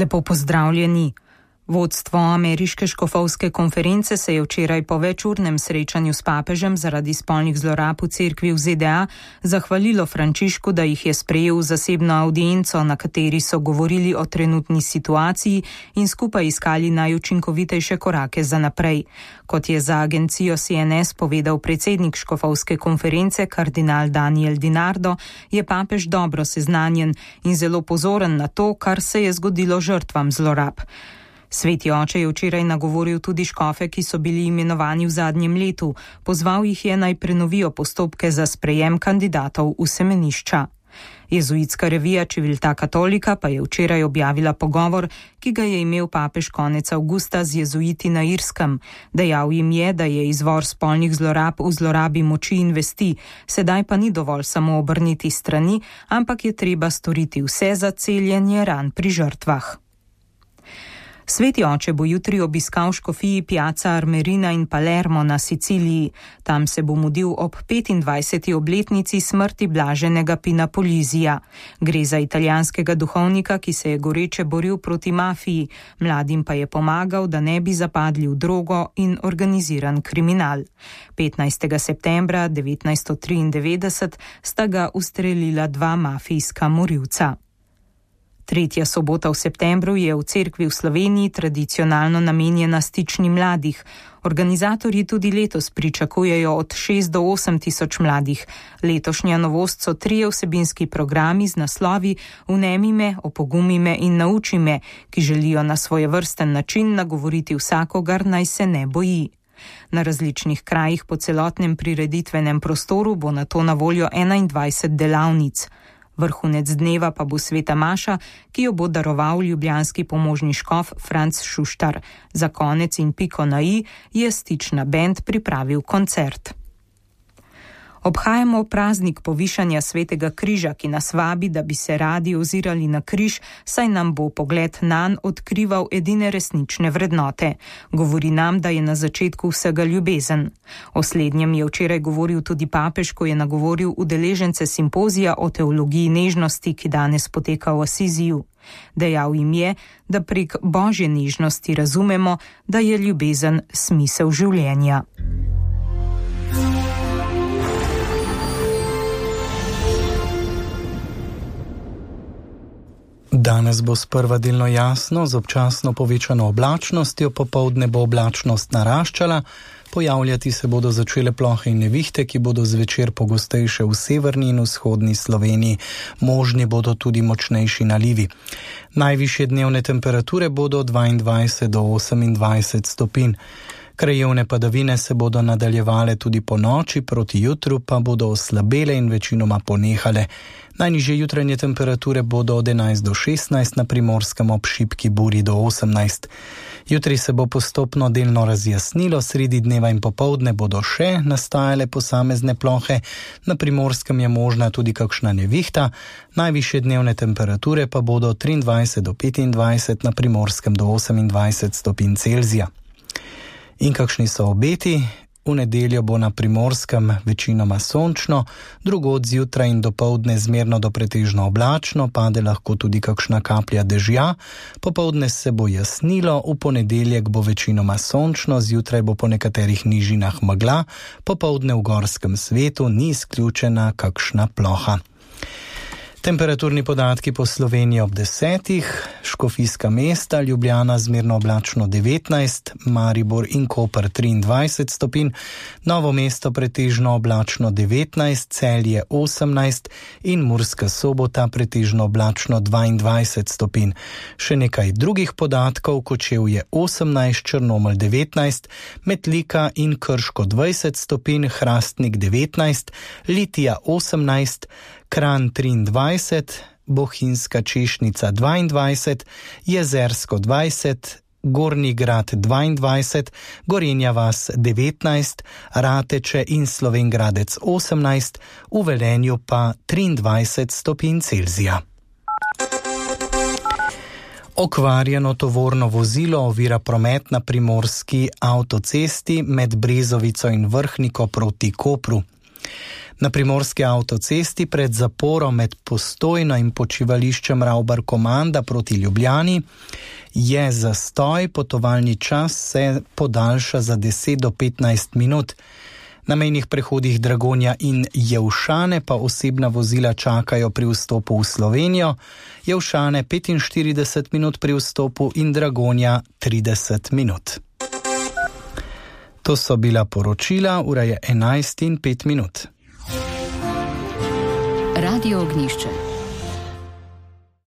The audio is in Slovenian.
Lepo pozdravljeni. Vodstvo ameriške škofovske konference se je včeraj po večurnem srečanju s papežem zaradi spolnih zlorab v cerkvi v ZDA zahvalilo Frančišku, da jih je sprejel v zasebno audienco, na kateri so govorili o trenutni situaciji in skupaj iskali najučinkovitejše korake za naprej. Kot je za agencijo CNS povedal predsednik škofovske konference kardinal Daniel DiNardo, je papež dobro seznanjen in zelo pozoren na to, kar se je zgodilo žrtvam zlorab. Sveti oče je včeraj nagovoril tudi škofe, ki so bili imenovani v zadnjem letu. Pozval jih je naj prenovijo postopke za sprejem kandidatov v semenišča. Jezuitska revija Civiltà Cattolica pa je včeraj objavila pogovor, ki ga je imel papež konec avgusta z jezuiti na Irskem. Dejal jim je, da je izvor spolnih zlorab v zlorabi moči in vesti, sedaj pa ni dovolj samo obrniti strani, ampak je treba storiti vse za celjenje ran pri žrtvah. Sveti oče bo jutri obiskal škofiji Piazza Armerina in Palermo na Siciliji. Tam se bo mudil ob 25. obletnici smrti blaženega Pina Polizija. Gre za italijanskega duhovnika, ki se je goreče boril proti mafiji, mladim pa je pomagal, da ne bi zapadli v drogo in organiziran kriminal. 15. septembra 1993 sta ga ustrelila dva mafijska morilca. Tretja sobota v septembru je v cerkvi v Sloveniji tradicionalno namenjena stični mladih. Organizatorji tudi letos pričakujejo od 6 do 8 tisoč mladih. Letošnja novost so 3 vsebinski programi z naslovi Vnemi me, opogumi me in nauči me, ki želijo na svojevrsten način nagovoriti vsakogar, naj se ne boji. Na različnih krajih po celotnem prireditvenem prostoru bo na to na voljo 21 delavnic. Vrhunec dneva pa bo sveta maša, ki jo bo daroval ljubljanski pomožni škof Franc Šuštar. Za konec in piko na i je stična bend pripravil koncert. Obhajamo praznik povišanja svetega križa, ki nas vabi, da bi se radi ozirali na križ, saj nam bo pogled nanj odkrival edine resnične vrednote. Govori nam, da je na začetku vsega ljubezen. O slednjem je včeraj govoril tudi papež, ko je nagovoril udeležence simpozija o teologiji nežnosti, ki danes poteka v Asiziju. Dejal jim je, da prek božje nežnosti razumemo, da je ljubezen smisel življenja. Danes bo sprva delno jasno, z občasno povečano oblačnostjo, popoldne bo oblačnost naraščala, pojavljati se bodo začele plohe in nevihte, ki bodo zvečer pogostejše v severni in vzhodni Sloveniji. Možni bodo tudi močnejši nalivi. Najvišje dnevne temperature bodo 22 do 28 stopinj. Krajevne padavine se bodo nadaljevale tudi po noči, proti jutru pa bodo oslabele in večinoma ponehale. Najnižje jutranje temperature bodo od 11 do 16, na Primorskem ob šibki burji do 18. Jutri se bo postopno delno razjasnilo, sredi dneva in popoldne bodo še nastajale posamezne plohe, na Primorskem je možna tudi kakšna nevihta, najvišje dnevne temperature pa bodo 23 do 25, na Primorskem do 28 stopinj Celzija. In kakšni so obeti? V nedeljo bo na Primorskem večinoma sončno, drugod zjutraj in dopoldne zmerno do pretežno oblačno, pade lahko tudi kakšna kaplja dežja, popoldne se bo jasnilo, v ponedeljek bo večinoma sončno, zjutraj bo po nekaterih nižinah megla, popoldne v gorskem svetu ni izključena kakšna ploha. Temperaturni podatki po Sloveniji ob 10, škofijska mesta, Ljubljana zmerno oblačno 19, Maribor in Koper 23 stopinj, Novo mesto pretežno oblačno 19, Celje 18 in Murska Sobota pretežno oblačno 22 stopinj. Še nekaj drugih podatkov: Kočevje 18, Črnomelj 19, Metlika in Krško 20 stopinj, Hrastnik 19, Litija 18, Kranj 23, Bohinjska Češnica 22, Jezersko 20, Gornji Grad 22, Gorenja vas 19, Rateče in Slovenj Gradec 18, v Velenju pa 23 stopinj Celzija. Okvarjeno tovorno vozilo ovira promet na primorski avtocesti med Brezovico in Vrhniko proti Kopru. Na primorski avtocesti pred zaporom med Postojno in počivališčem Ravbar-Komanda proti Ljubljani je zastoj, potovalni čas se podaljša za 10 do 15 minut. Na mejnih prehodih Dragonja in Jelšane pa osebna vozila čakajo pri vstopu v Slovenijo, Jelšane 45 minut pri vstopu in Dragonja 30 minut. To so bila poročila, ura je 11:05. Radio Ognjišče.